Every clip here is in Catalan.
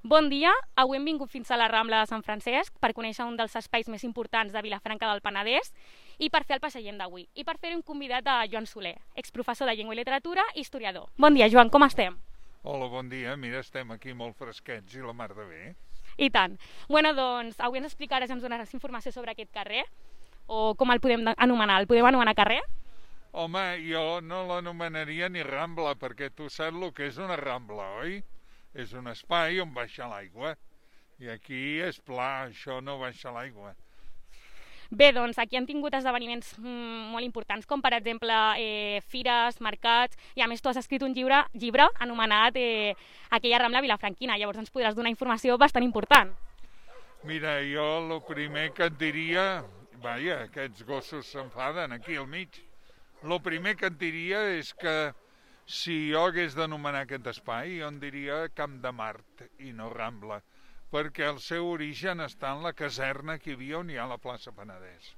Bon dia, avui hem vingut fins a la Rambla de Sant Francesc per conèixer un dels espais més importants de Vilafranca del Penedès i per fer el passeient d'avui. I per fer-ho hem convidat a Joan Soler, exprofessor de Llengua i Literatura i historiador. Bon dia, Joan, com estem? Hola, bon dia. Mira, estem aquí molt fresquets i la mar de bé. I tant. Bueno, doncs, avui ens explicaràs i ens donaràs informació sobre aquest carrer, o com el podem anomenar? El podem anomenar carrer? Home, jo no l'anomenaria ni Rambla, perquè tu saps el que és una Rambla, oi? És un espai on baixa l'aigua. I aquí és pla, això no baixa l'aigua. Bé, doncs aquí han tingut esdeveniments molt importants, com per exemple fires, mercats, i a més tu has escrit un llibre anomenat Aquella Rambla Vilafranquina, llavors ens podràs donar informació bastant important. Mira, jo el primer que et diria... Vaja, aquests gossos s'enfaden aquí al mig. El primer que et diria és que si jo hagués d'anomenar aquest espai, jo en diria Camp de Mart i no Rambla, perquè el seu origen està en la caserna que hi havia on hi ha la plaça Penedès.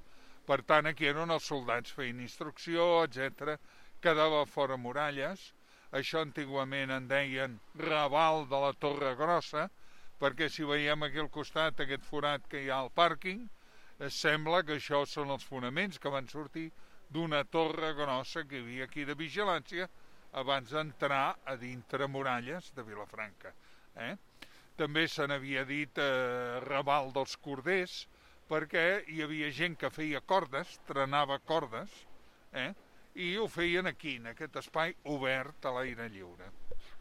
Per tant, aquí eren els soldats feien instrucció, etc. Quedava fora muralles. Això antigament en deien Raval de la Torre Grossa, perquè si veiem aquí al costat aquest forat que hi ha al pàrquing, sembla que això són els fonaments que van sortir d'una torre grossa que hi havia aquí de vigilància abans d'entrar a dintre muralles de Vilafranca. També se n'havia dit Raval dels Corders, perquè hi havia gent que feia cordes, trenava cordes, i ho feien aquí, en aquest espai obert a l'aire lliure.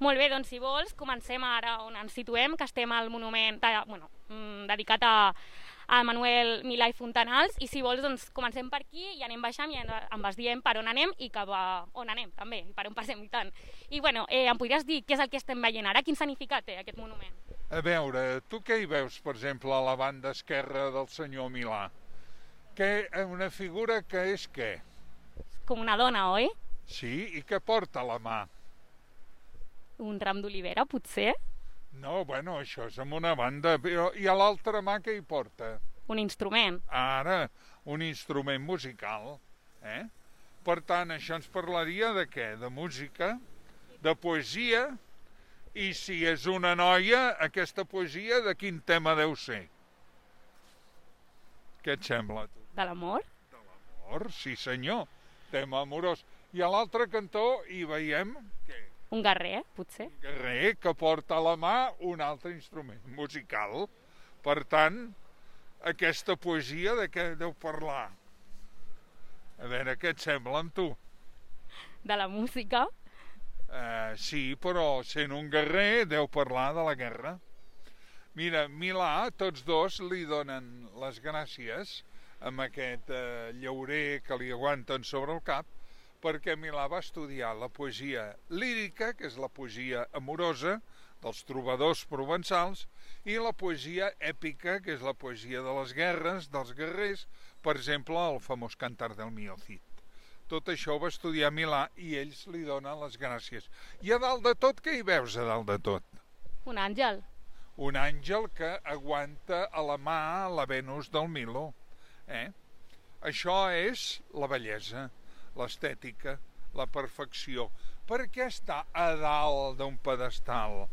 Molt bé, doncs si vols, comencem ara on ens situem, que estem al monument dedicat a Manuel Milà i Fontanals, i si vols doncs comencem per aquí i anem baixant i em vas dient per on anem i cap a on anem també, i per on passem i tant. I bueno, em podries dir què és el que estem veient ara? Quin significat té aquest monument? A veure, tu què hi veus, per exemple, a la banda esquerra del senyor Milà? Una figura que és què? Com una dona, oi? Sí, i què porta a la mà? Un ram d'olivera, potser? No, bueno, això és amb una banda, però i a l'altra mà què hi porta? Un instrument. Ara, un instrument musical, Per tant, això ens parlaria de què? De música, de poesia, i si és una noia, aquesta poesia de quin tema deu ser? Què et sembla? De l'amor? De l'amor, sí senyor, tema amorós. I a l'altre cantó hi veiem què? Un guerrer, potser? Un guerrer que porta a la mà un altre instrument musical. Per tant, aquesta poesia de què deu parlar? A veure, què et sembla amb tu? De la música? Sí, però sent un guerrer deu parlar de la guerra. Mira, Milà, tots dos li donen les gràcies amb aquest llaurer que li aguanten sobre el cap, perquè Milà va estudiar la poesia lírica, que és la poesia amorosa dels trobadors provençals, i la poesia èpica, que és la poesia de les guerres, dels guerrers, per exemple, el famós Cantar del Mío Cid. Tot això ho va estudiar Milà i ells li donen les gràcies. I a dalt de tot, què hi veus a dalt de tot? Un àngel. Un àngel que aguanta a la mà la Venus del Milo. Això és la bellesa, l'estètica, la perfecció. Per què està a dalt d'un pedestal?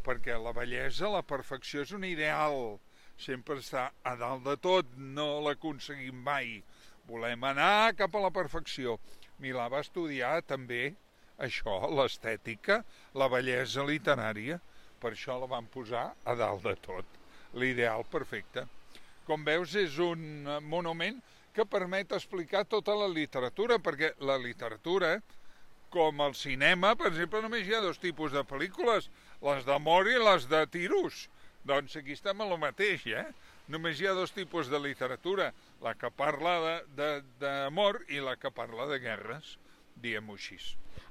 Perquè la bellesa, la perfecció és un ideal. Sempre està a dalt de tot, no l'aconseguim mai. Volem anar cap a la perfecció. Milà va estudiar també això, l'estètica, la bellesa literària. Per això la van posar a dalt de tot. L'ideal perfecte. Com veus, és un monument que permet explicar tota la literatura, perquè la literatura, com el cinema, per exemple, només hi ha dos tipus de pel·lícules, les d'amor i les de tiros. Doncs aquí estem a lo mateix, Només hi ha dos tipus de literatura, la que parla d'amor i la que parla de guerres, diguem-ho així.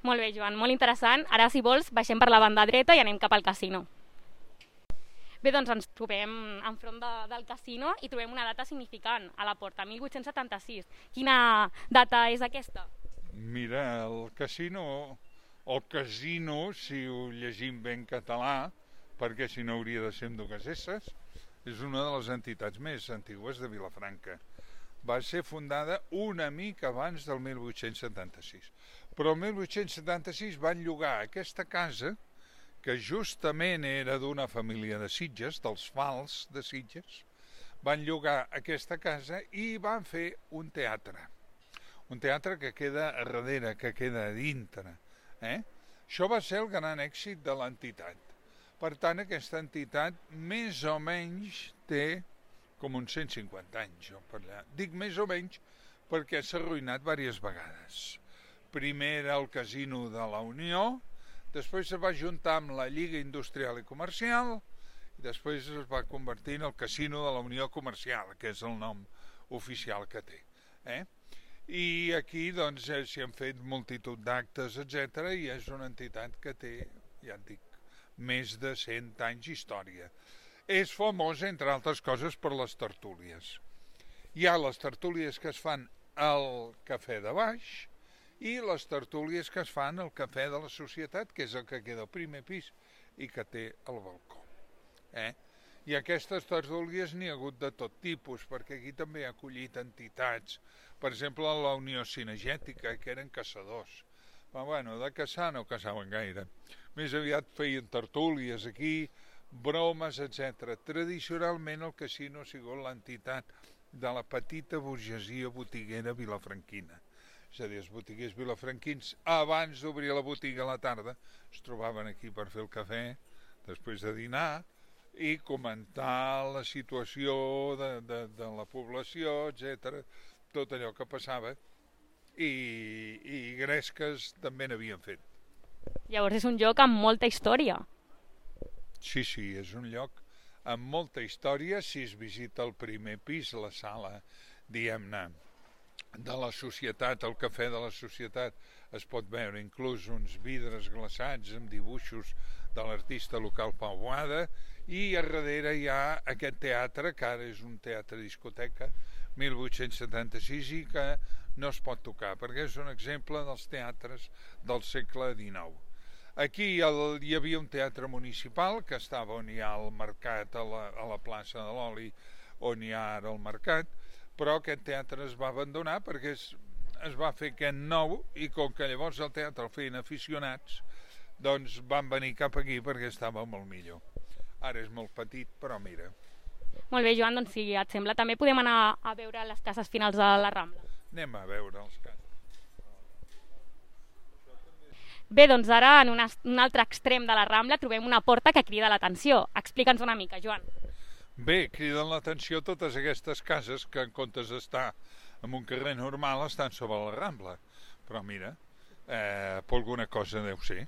Molt bé, Joan, molt interessant. Ara, si vols, baixem per la banda dreta i anem cap al casino. Bé, doncs ens trobem enfront del casino i trobem una data significant a la porta, 1876. Quina data és aquesta? Mira, el casino, si ho llegim ben català, perquè si no hauria de ser amb dues esses, és una de les entitats més antigues de Vilafranca. Va ser fundada una mica abans del 1876. Però el 1876 van llogar aquesta casa que justament era d'una família de Sitges, dels Fals de Sitges, van llogar aquesta casa i van fer un teatre que queda a darrere, que queda a dintre. Això va ser el gran èxit de l'entitat. Per tant, aquesta entitat més o menys té com uns 150 anys. Dic més o menys perquè s'ha arruïnat diverses vegades. Primer era el Casino de la Unió, després es va juntar amb la Lliga Industrial i Comercial i després es va convertir en el Casino de la Unió Comercial, que és el nom oficial que té. I aquí doncs s'hi han fet multitud d'actes, etc. i és una entitat que té, ja et dic, més de 100 anys d'història. És famós, entre altres coses, per les tertúlies. Hi ha les tertúlies que es fan al Cafè de Baix i les tertúlies que es fan al Cafè de la Societat, que és el que queda al primer pis i que té el balcó. I aquestes tertúlies n'hi ha hagut de tot tipus, perquè aquí també ha acollit entitats, per exemple la Unió Cinegètica, que eren caçadors. Però bueno, de caçar no caçaven gaire. Més aviat feien tertúlies aquí, bromes, etc. Tradicionalment el casino ha sigut l'entitat de la petita burgesia botiguera vilafranquina. És a dir, els botiguers vilafranquins, abans d'obrir la botiga a la tarda, es trobaven aquí per fer el cafè, després de dinar, i comentar la situació de la població, etc. Tot allò que passava, i gresques també n'havien fet. Llavors és un lloc amb molta història. Sí, és un lloc amb molta història. Si es visita el primer pis, la sala, diguem-ne, de la societat, el cafè de la societat, es pot veure inclús uns vidres glaçats amb dibuixos de l'artista local Pau Boada, i a darrere hi ha aquest teatre, que ara és un teatre-discoteca, 1876, i que no es pot tocar, perquè és un exemple dels teatres del segle XIX. Aquí hi havia un teatre municipal, que estava on hi ha el mercat, a la plaça de l'Oli, on hi ha ara el mercat, però aquest teatre es va abandonar perquè es va fer aquest nou, i com que llavors el teatre el feien aficionats, doncs van venir cap aquí perquè estava molt millor. Ara és molt petit, però mira. Molt bé, Joan, doncs si et sembla també podem anar a veure les cases finals de la Rambla. Anem a veure els cases. Bé, doncs ara en un altre extrem de la Rambla trobem una porta que crida l'atenció. Explica'ns una mica, Joan. Bé, criden l'atenció totes aquestes cases que en comptes d'estar en un carrer normal estan sobre la Rambla. Però mira, per alguna cosa deu ser.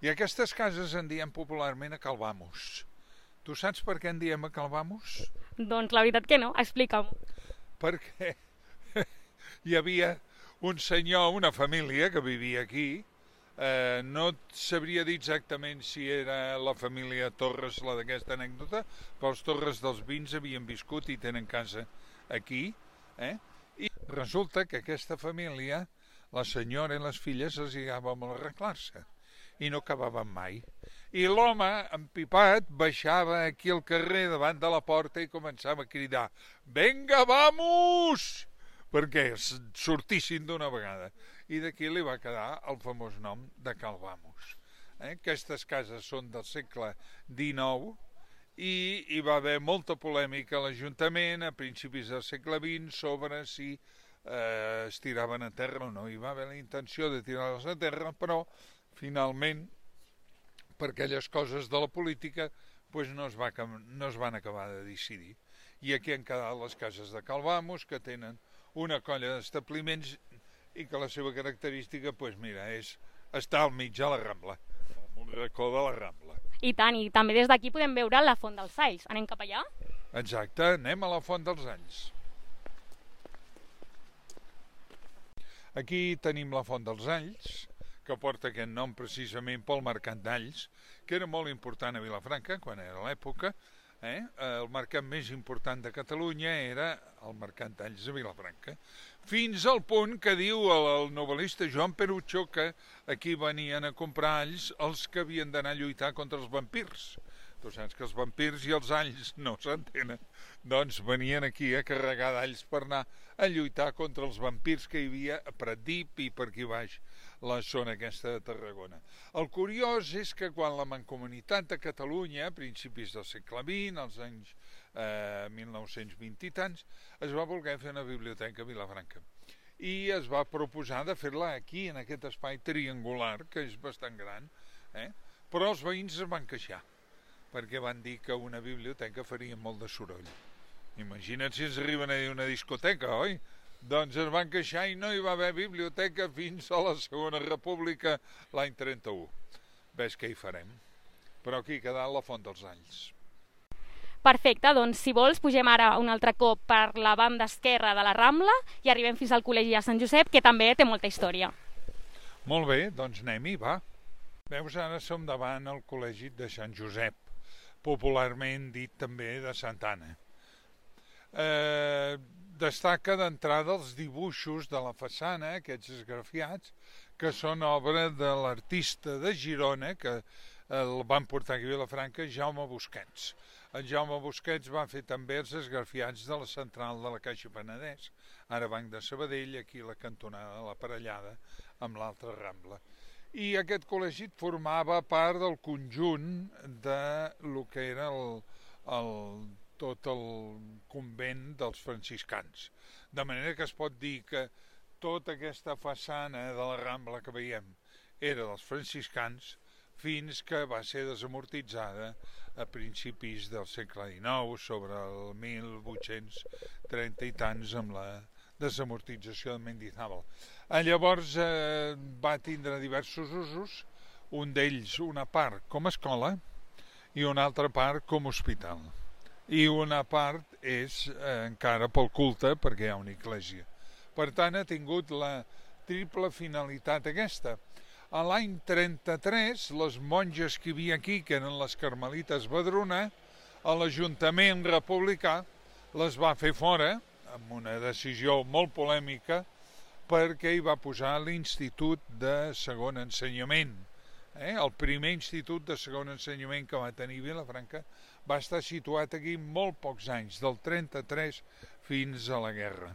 I aquestes cases en diem popularment a Calvamos. Tu saps per què en diem a Calvamos? Doncs la veritat que no, explica'm. Perquè hi havia un senyor, una família que vivia aquí, no sabria dir exactament si era la família Torres la d'aquesta anècdota, però els Torres dels Vins havien viscut i tenen casa aquí, i resulta que aquesta família, la senyora i les filles, els lligava molt a arreglar-se i no acabaven mai. I l'home, empipat, baixava aquí al carrer davant de la porta i començava a cridar «Venga, vamos!» perquè sortissin d'una vegada. I d'aquí li va quedar el famós nom de Calvamos. Aquestes cases són del segle XIX i hi va haver molta polèmica a l'Ajuntament a principis del segle XX sobre si es tiraven a terra o no. Hi va haver la intenció de tirar-les a terra, però finalment, per aquelles coses de la política, no es van acabar de decidir. I aquí han quedat les cases de Calvamos, que tenen una colla d'establiments i que la seva característica, mira, és estar al mig de la Rambla, un racó de la Rambla. I tant, i també des d'aquí podem veure la Font dels Alls. Anem cap allà? Exacte, anem a la Font dels Alls. Aquí tenim la Font dels Alls, que porta aquest nom precisament pel mercat d'Alls, que era molt important a Vilafranca quan era l'època. El mercat més important de Catalunya era el mercat d'Alls de Vilafranca, fins al punt que diu el novel·lista Joan Perucho que aquí venien a comprar alls els que havien d'anar a lluitar contra els vampirs. Tu saps que els vampirs i els alls no s'entenen, doncs venien aquí a carregar d'alls per anar a lluitar contra els vampirs que hi havia a Pratdip i per aquí baix la zona aquesta de Tarragona. El curiós és que quan la Mancomunitat de Catalunya, a principis del segle XX, als anys 1920 i tants, es va voler fer una biblioteca a Vilafranca. I es va proposar de fer-la aquí, en aquest espai triangular, que és bastant gran, però els veïns es van queixar, perquè van dir que una biblioteca faria molt de soroll. Imagina't si ens arriben a dir una discoteca, oi? Doncs es van queixar i no hi va haver biblioteca fins a la Segona República l'any 31. Ves què hi farem. Però aquí ha quedat la Font dels Alls. Perfecte, doncs si vols pugem ara un altre cop per la banda esquerra de la Rambla i arribem fins al Col·legi de Sant Josep, que també té molta història. Molt bé, doncs anem-hi, va. Veus, ara som davant el Col·legi de Sant Josep, popularment dit també de Santa Anna. Destaca d'entrada els dibuixos de la façana, aquests esgrafiats, que són obra de l'artista de Girona, que el van portar aquí a Vilafranca, Jaume Busquets. El Jaume Busquets va fer també els esgrafiats de la central de la Caixa Penedès, ara Banc de Sabadell, aquí la cantonada de la Parellada, amb l'altra Rambla. I aquest col·legi formava part del conjunt de lo que era tot el convent dels franciscans. De manera que es pot dir que tota aquesta façana de la Rambla que veiem era dels franciscans fins que va ser desamortitzada a principis del segle XIX, sobre el 1830 i tants, amb la desamortització de Mendizábal. Llavors va tindre diversos usos, un d'ells una part com a escola i una altra part com a hospital. I una part és encara pel culte, perquè hi ha una església. Per tant, ha tingut la triple finalitat aquesta. A l'any 33, les monges que hi havia aquí, que eren les carmelites Badruna, a l'Ajuntament republicà les va fer fora, amb una decisió molt polèmica, perquè hi va posar l'Institut de Segon Ensenyament. El primer institut de segon ensenyament que va tenir Vilafranca va estar situat aquí molt pocs anys, del 33 fins a la guerra.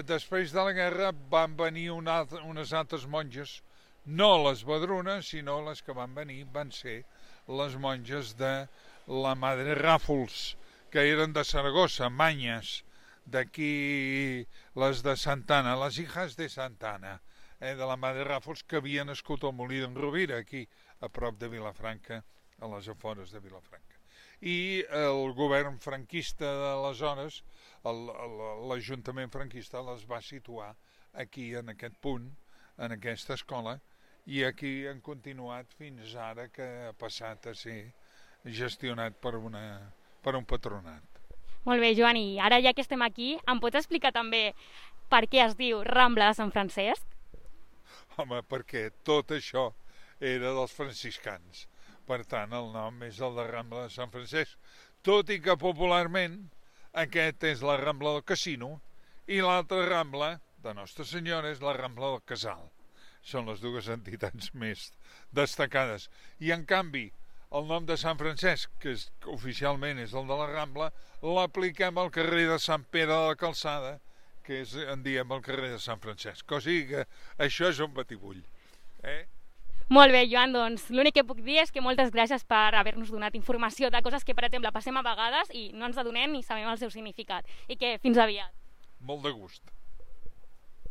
Després de la guerra van venir unes altres monges, no les Badrunes, sinó les que van venir van ser les monges de la Madre Ràfols, que eren de Saragossa, manyes, d'aquí les de Santa Anna, les hijas de Santa Anna, de la Madre Ràfols, que havia nascut al Molí d'en Rovira, aquí a prop de Vilafranca, a les afores de Vilafranca. I el govern franquista d'aleshores, l'Ajuntament franquista, les va situar aquí, en aquest punt, en aquesta escola, i aquí han continuat fins ara, que ha passat a ser gestionat per un patronat. Molt bé, Joan, i ara ja que estem aquí, em pots explicar també per què es diu Rambla de Sant Francesc? Home, perquè tot això era dels franciscans. Per tant, el nom és el de Rambla de Sant Francesc, tot i que popularment aquest és la Rambla del Casino i l'altra Rambla de Nostra Senyora és la Rambla del Casal. Són les dues entitats més destacades. I en canvi, el nom de Sant Francesc, que oficialment és el de la Rambla, l'apliquem al carrer de Sant Pere de la Calçada, que en diem el carrer de Sant Francesc. O sigui que això és un batibull. Molt bé, Joan, doncs l'únic que puc dir és que moltes gràcies per haver-nos donat informació de coses que, per exemple, passem a vegades i no ens adonem ni sabem el seu significat. I que fins aviat. Molt de gust.